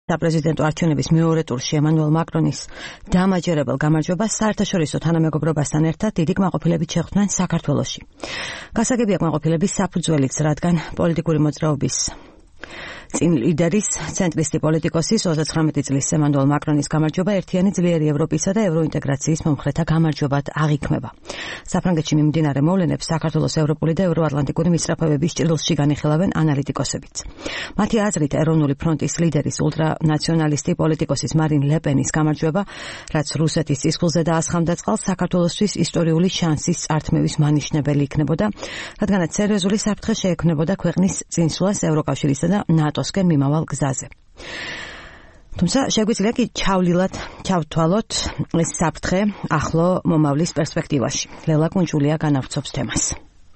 საპრეზიდენტო არჩევნების მეორე ტურში ემანუელ მაკრონის დამაჯერებელ გამარჯვებას საერთაშორისო თანამეგობრობასთან ერთად დიდი კმაყოფილებით შეხვდნენ საქართველოში. გასაგებია კმაყოფილების საფუძველიც, რადგან პოლიტიკური მოძრაობის წინ ლიდერის ცენტრისტი პოლიტიკოსის 39 წლის ემანუელ მაკრონის გამარჯვება ერთიანი ძლიერი ევროპისა და ევროინტეგრაციის მომხრეთა გამარჯვებად აღიქმება. საფრანგეთში მიმდინარე მოვლენებს საქართველოს ევროპული და ევროატლანტიკური მისწრაფებების ჭრილში განიხილავენ ანალიტიკოსებიც. მათი აზრით, ეროვნული ფრონტის ლიდერის ულტრანაციონალისტი პოლიტიკოსის მარინ ლე პენის გამარჯვება, რაც რუსეთის წისქვილზე დაასხამდა წყალს, საქართველოსთვის ისტორიული შანსის წართმევის მანიშნებელი იქნებოდა, რადგანაც სერიოზული საფრთხე შეექმნებოდა ქვეყნის წინსვლას ევროკავშირისა და ნატოსკენ მიმავალ გზაზე. თუმცა შეგვიძლია კი ჩავთვალოთ ეს საფრთხე ახლო მომავლის პერსპექტივაში. ლელა კუნჯულია განავრცობს თემას.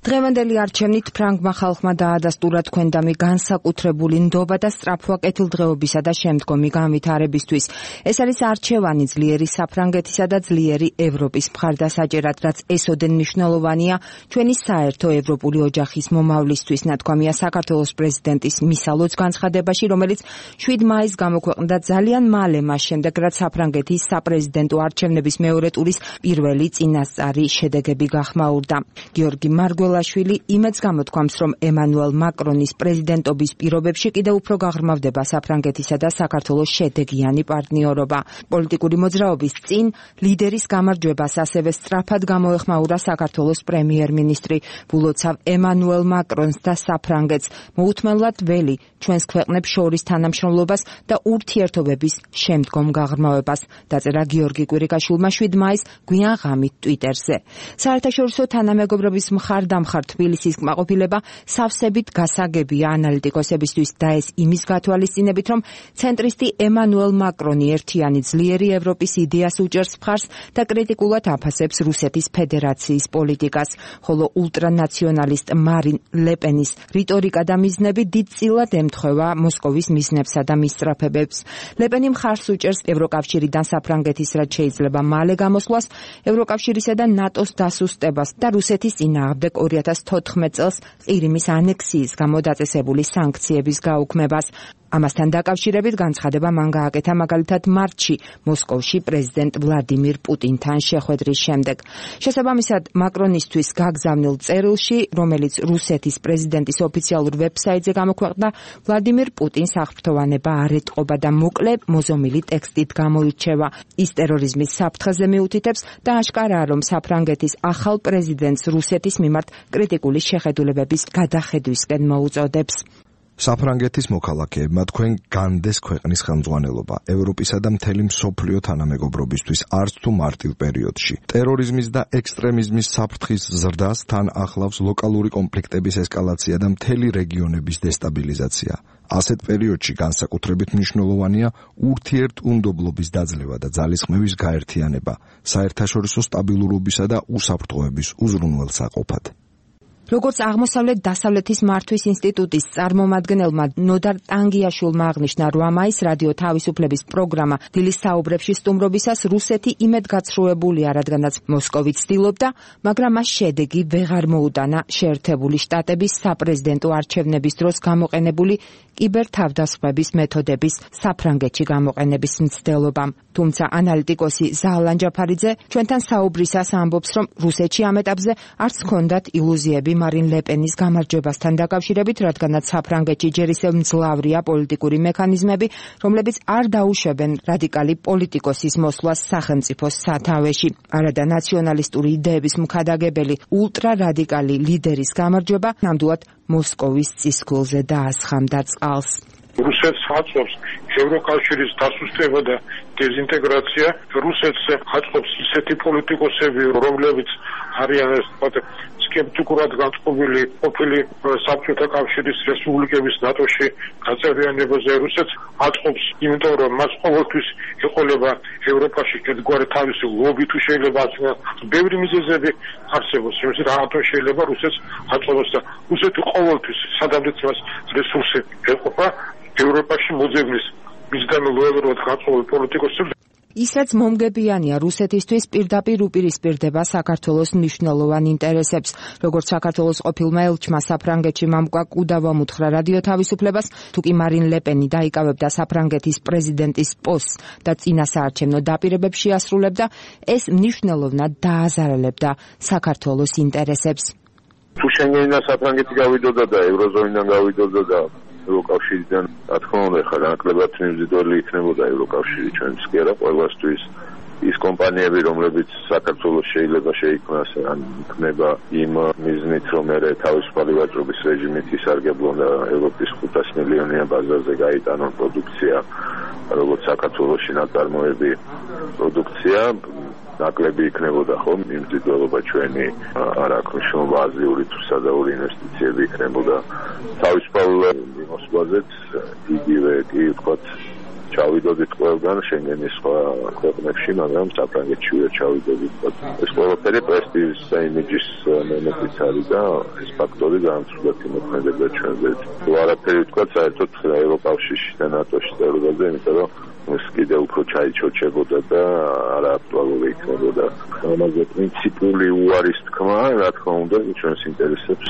დღევანდელი არჩევნით ფრანგმა ხალხმა დაადასტურა თქვენდამი განსაკუთრებული ნდობა და სწრაფვა კეთილდღეობისა და შემდგომი განვითარებისთვის. ეს არის არჩევანი ძლიერი საფრანგეთისა და ძლიერი ევროპის მხარდასაჭერად, რაც ესოდენ მნიშვნელოვანია ჩვენი საერთო ევროპული ოჯახის მომავლისთვის, ნათქვამია საქართველოს პრეზიდენტის მისალოც განცხადებაში, რომელიც 7 მაისს გამოქვეყნდა ძალიან მალე მას შემდეგ, რაც საფრანგეთის საპრეზიდენტო არჩევნების მეორე ტურის პირველი წინასწარი შედეგები გახმაურდა. გიორგი მარგველაშვილი იმედს გამოთქვამს, რომ ემანუელ მაკრონის პრეზიდენტობის პირობებში კიდევ უფრო გაღრმავდება საფრანგეთისა და საქართველოს შედეგიანი პარტნიორობა. პოლიტიკური მოძრაობის წინ ლიდერის გამარჯვებას ასევე სწრაფად გამოეხმაურა საქართველოს პრემიერ-მინისტრი. ვულოცავ ემანუელ მაკრონს და საფრანგეთს მოუთმენლად ველი ჩვენს ქვეყნებს შორის თანამშრომლობას და ურთიერთობების შემდგომ გაღრმავებას, დაწერა გიორგი კვირიკაშვილმა 7 მაისს გვიან ღამით ტვიტერზე. საერთაშორისო თანამეგობრობის მხარდამხარ თბილისის კმაყოფილება სავსებით გასაგებია ანალიტიკოსებისთვის და ეს იმის გათვალისწინებით, რომ ცენტრისტი ემანუელ მაკრონი ერთიანი ძლიერი ევროპის იდეას უჭერს მხარს და კრიტიკულად აფასებს რუსეთის ფედერაციის პოლიტიკას, ხოლო ულტრანაციონალისტ მარინ ლე პენის რიტორიკა და მიზნები დიდწილად ემთხვევა მოსკოვის მიზნებსა და მისწრაფებებს. ლე პენი მხარს უჭერს ევროკავშირიდან საფრანგეთის რაც შეიძლება მალე გამოსვლას, ევროკავშირისა და ნატოს დასუსტებას და რუსეთის წინააღმდეგ 2014 წელს ყირიმის ანექსიის გამო დაწესებული სანქციების გაუქმებას. ამასთან დაკავშირებით განცხადება მან გააკეთა მაგალითად მარტში მოსკოვში პრეზიდენტ ვლადიმირ პუტინთან შეხვედრის შემდეგ. შესაბამისად, მაკრონისთვის გაგზავნილ წერილში, რომელიც რუსეთის პრეზიდენტის ოფიციალურ ვებსაიტზე გამოქვეყნდა, ვლადიმირ პუტინს აღფრთოვანება არ ეტყობა და მოკლე მოზომილი ტექსტით გამოირჩევა. ის ტერორიზმის საფრთხეზე მიუთითებს და აშკარაა, რომ საფრანგეთის ახალ პრეზიდენტს რუსეთის მიმართ კრიტიკული შეხედულებების გადახედვისკენ მოუწოდებს. საფრანგეთის მოქალაქეებმა თქვენ განდეს ქვეყნის ხელმძღვანელობა ევროპისა და მთელი მსოფლიო თანამეგობრობისთვის არც თუ მარტივ პერიოდში. ტერორიზმის და ექსტრემიზმის საფრთხის ზრდას თან ახლავს ლოკალური კონფლიქტების ესკალაცია და მთელი რეგიონების დესტაბილიზაცია. ასეთ პერიოდში განსაკუთრებით მნიშვნელოვანია ურთიერთუნდობლობის დაძლევა და ძალისხმევის გაერთიანება, საერთაშორისო სტაბილურობისა და უსაფრთხოების უზრუნველსაყოფად. როგორც აღმოსავლეთ-დასავლეთის მართვის ინსტიტუტის წარმომადგენელმა ნოდარ ტანგიაშვილმა აღნიშნა, 8 მაისს რადიო თავისუფლების პროგრამა დილის საუბრებში სტუმრობისას რუსეთი იმედგაცრუებულია, რადგანაც მოსკოვი ცდილობდა, მაგრამ მას შედეგი ვეღარ მოუტანა შეერთებული შტატების საპრეზიდენტო არჩევნების დროს გამოყენებული კიბერთავდასხმების მეთოდების საფრანგეთში გამოყენების მცდელობამ. თუმცა ანალიტიკოსი ზალან ჯაფარიძე ჩვენთან საუბრისას ამბობს, რომ რუსეთში ამ ეტაპზე არც ჰქონდათ ილუზიები მარინ ლე პენის გამარჯვებასთან დაკავშირებით, რადგანაც საფრანგეთში ჯერ ისევ მძლავრია პოლიტიკური მექანიზმები, რომლებიც არ დაუშვებენ რადიკალი პოლიტიკოსის მოსვლას სახელმწიფოს სათავეში. არადა ნაციონალისტური იდეების მქადაგებელი ულტრარადიკალი ლიდერის გამარჯვება ნამდვილად მოსკოვის წისქვილზე დაასხამდა წყალს. რუსეთს აწვავს ევროკავშირის დასუსტება და დეზინტეგრაცია. რუსეთს აწვავს ისეთი პოლიტიკოსები, რომლებიც არიან სკეპტიკურად განწყობილი ყოფილი საბჭოთა კავშირის რესპუბლიკების ნატოში გაწევრიანებაზე. რუსეთს აწვავს, იმიტომ რომ მას ყოველთვის ეყოლება ევროპაში ერთგვარი თავისი ლობი თუ შეიძლება ბევრი მიზეზები არსებობს, რომელიც რატომ შეიძლება რუსეთს აწვავს და რუსეთი ყოველთვის სადამდეც მას რესურსი ეყოფა ევროპაში მოძებნის მისგან ლოიალურად განწყობილ პოლიტიკოსებს. ის რაც მომგებიანია რუსეთისთვის პირდაპირ უპირისპირდება საქართველოს მნიშვნელოვან ინტერესებს. როგორც საქართველოს ყოფილმა ელჩმა საფრანგეთში მამუკა კუდავამ უთხრა რადიო თავისუფლებას, თუ კი მარინ ლეპენი დაიკავებდა საფრანგეთის პრეზიდენტის პოსტს და წინასაარჩევნო დაპირებებს შეასრულებდა, ეს მნიშვნელოვნად დააზარალებდა საქართველოს ინტერესებს. თუ შენგენიდან საფრანგეთი გავიდოდა და ევროზონიდან გავიდოდა და ევროკავშირიდან, რა თქმა უნდა, ხა ნაკლებად მიმზიდველი იქნებოდა ევროკავშირი ჩვენთვის კი არა, ყველასთვის. ის კომპანიები, რომლებიც საქართველოს შეიძლება შეიქმნას, ან იქნება იმ მიზნით, რომ მე თავისუფალი ვაჭრობის რეჟიმით ისარგებლონ და ევროპის 500 მილიონიან ბაზარზე გაიტანონ პროდუქცია, როგორც საქართველოში ნაწარმოები პროდუქცია, ნაკლები იქნებოდა ხომ მიმზიდველობა ჩვენი, არ აქვს მნიშვნელობა აზიური თუ სადაური ინვესტიციები იქნებოდა თავისუფალ მოსვლაზეც იგივე კი ვთქვათ ჩავიდოდით ყველგან შენგენის სხვა ქვეყნებში, მაგრამ საფრანგეთში ვერ ჩავიდოდით. ეს ყველაფერი პრესტიჟის და იმიჯის მომენტიც არის და ეს ფაქტორი განსხვავებით იმოქმედება ჩვენზე. თუ არაფერი ვთქვათ, საერთოდ ევროკავშირში და ნატოში წევრობაზე, იმიტომ რომ ეს კიდევ უფრო ჩაიჩოჩებოდა და არააქტუალური იქნებოდა. ამაზე პრინციპული უარის თქმა, რა თქმა უნდა, ჩვენს ინტერესებს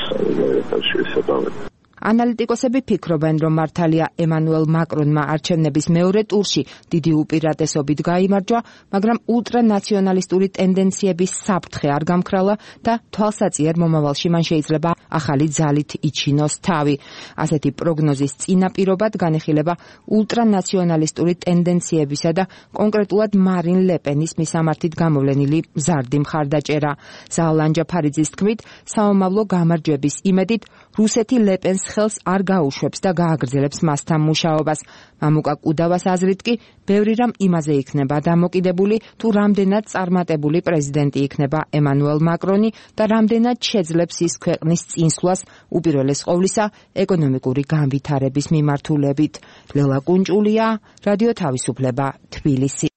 შეესაბამება. ანალიტიკოსები ფიქრობენ, რომ მართალია ემანუელ მაკრონმა არჩევნების მეორე ტურში დიდი უპირატესობით გაიმარჯვა, მაგრამ ულტრანაციონალისტური ტენდენციების საფრთხე არ გამქრალა და თვალსაჩინო მომავალში მან შეიძლება ახალი ძალით იჩინოს თავი. ასეთი პროგნოზის წინაპირობად განიხილება ულტრანაციონალისტური ტენდენციებისა და კონკრეტულად მარინ ლეპენის მისამართით გამოვლენილი მზარდი მხარდაჭერა. ზაალანჯა ფარიძის თქმით, საომავლო გამარჯვების იმედით რუსეთი ლეპენს ხელს არ გაუშვებს და გააგრძელებს მასთან მუშაობას. მამუკა კუდავას აზრით კი, ბევრი რამ იმაზე იქნება დამოკიდებული, თუ რამდენად წარმატებული პრეზიდენტი იქნება ემანუელ მაკრონი და რამდენად შეძლებს ის ქვეყნის წინსვლას უპირველეს ყოვლისა ეკონომიკური განვითარების მიმართულებით. ლელა კუნჭულია, რადიო თავისუფლება, თბილისი.